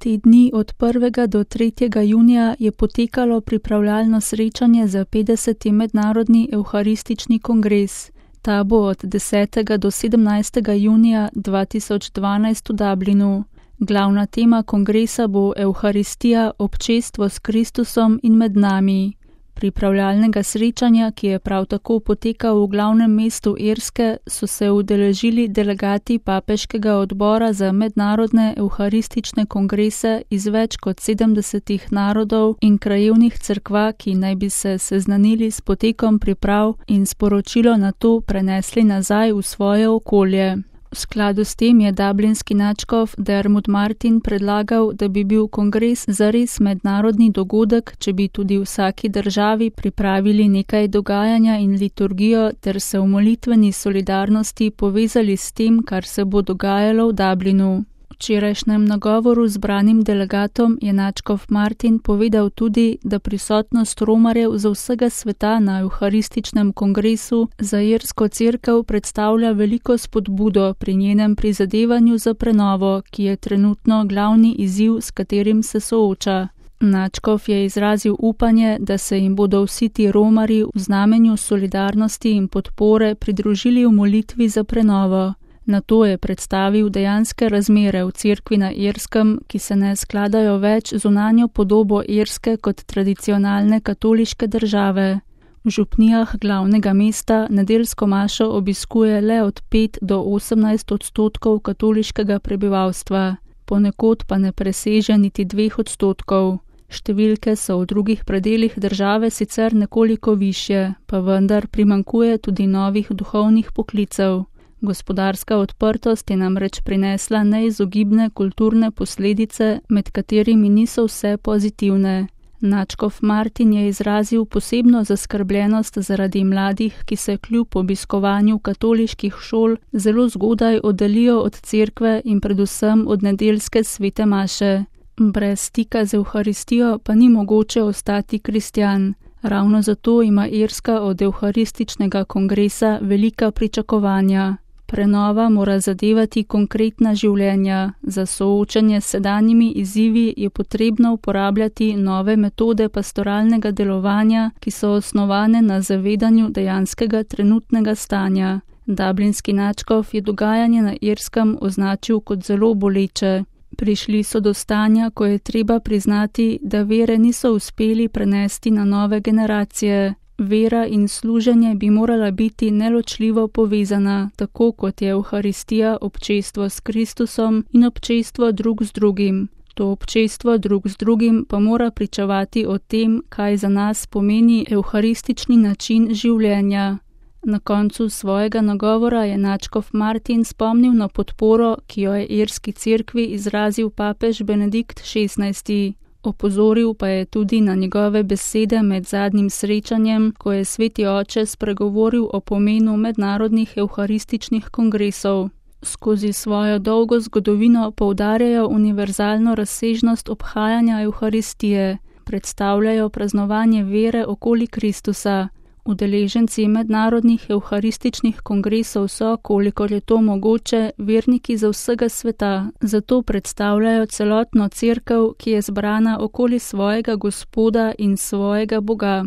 Te dni od 1. do 3. junija je potekalo pripravljalno srečanje za 50. mednarodni evharistični kongres. Ta bo od 10. do 17. junija 2012 v Dublinu. Glavna tema kongresa bo Evharistija, občestvo s Kristusom in med nami. Pripravljalnega srečanja, ki je prav tako potekal v glavnem mestu Irske, so se udeležili delegati Papeškega odbora za mednarodne evharistične kongrese iz več kot 70 narodov in krajevnih cerkva, ki naj bi se seznanili s potekom priprav in sporočilo nato prenesli nazaj v svoje okolje. V skladu s tem je dublinski nadškof Dermot Martin predlagal, da bi bil kongres zares mednarodni dogodek, če bi tudi v vsaki državi pripravili nekaj dogajanja in liturgijo ter se v molitveni solidarnosti povezali s tem, kar se bo dogajalo v Dublinu. V včerajšnjem nagovoru zbranim delegatom je nadškof Martin povedal tudi, da prisotnost romarjev z vsega sveta na evharističnem kongresu za irsko cerkev predstavlja veliko spodbudo pri njenem prizadevanju za prenovo, ki je trenutno glavni izziv, s katerim se sooča. Nadškof je izrazil upanje, da se jim bodo vsi ti romarji v znamenju solidarnosti in podpore pridružili v molitvi za prenovo. Nato je predstavil dejanske razmere v cerkvi na Irskem, ki se ne skladajo več z zunanjo podobo Irske kot tradicionalne katoliške države. V župnijah glavnega mesta nedeljsko mašo obiskuje le od 5 do 18% katoliškega prebivalstva, ponekod pa ne preseže niti 2%. Številke so v drugih predelih države sicer nekoliko višje, pa vendar primanjkuje tudi novih duhovnih poklicev. Gospodarska odprtost je namreč prinesla neizogibne kulturne posledice, med katerimi niso vse pozitivne. Nadškof Martin je izrazil posebno zaskrbljenost zaradi mladih, ki se kljub obiskovanju katoliških šol zelo zgodaj oddaljijo od cerkve in predvsem od nedeljske svete maše. Brez stika z evharistijo pa ni mogoče ostati kristjan. Ravno zato ima Irska od evharističnega kongresa velika pričakovanja. Prenova mora zadevati konkretna življenja. Za soočanje s sedanjimi izzivi je potrebno uporabljati nove metode pastoralnega delovanja, ki so osnovane na zavedanju dejanskega trenutnega stanja. Dublinski nadškof je dogajanje na Irskem označil kot zelo boleče. Prišli so do stanja, ko je treba priznati, da vere niso uspeli prenesti na nove generacije. Vera in služenje bi morala biti neločljivo povezana, tako kot je evharistija občestvo s Kristusom in občestvo drug z drugim. To občestvo drug z drugim pa mora pričevati o tem, kaj za nas pomeni evharistični način življenja. Na koncu svojega nagovora je nadškof Martin spomnil na podporo, ki jo je irski cerkvi izrazil papež Benedikt XVI. Opozoril pa je tudi na njegove besede med zadnjim srečanjem, ko je sveti oče spregovoril o pomenu mednarodnih evharističnih kongresov. Skozi svojo dolgo zgodovino poudarjajo univerzalno razsežnost obhajanja evharistije, predstavljajo praznovanje vere okoli Kristusa. Udeleženci mednarodnih evharističnih kongresov so, kolikor je to mogoče, verniki za vsega sveta, zato predstavljajo celotno cerkev, ki je zbrana okoli svojega Gospoda in svojega Boga.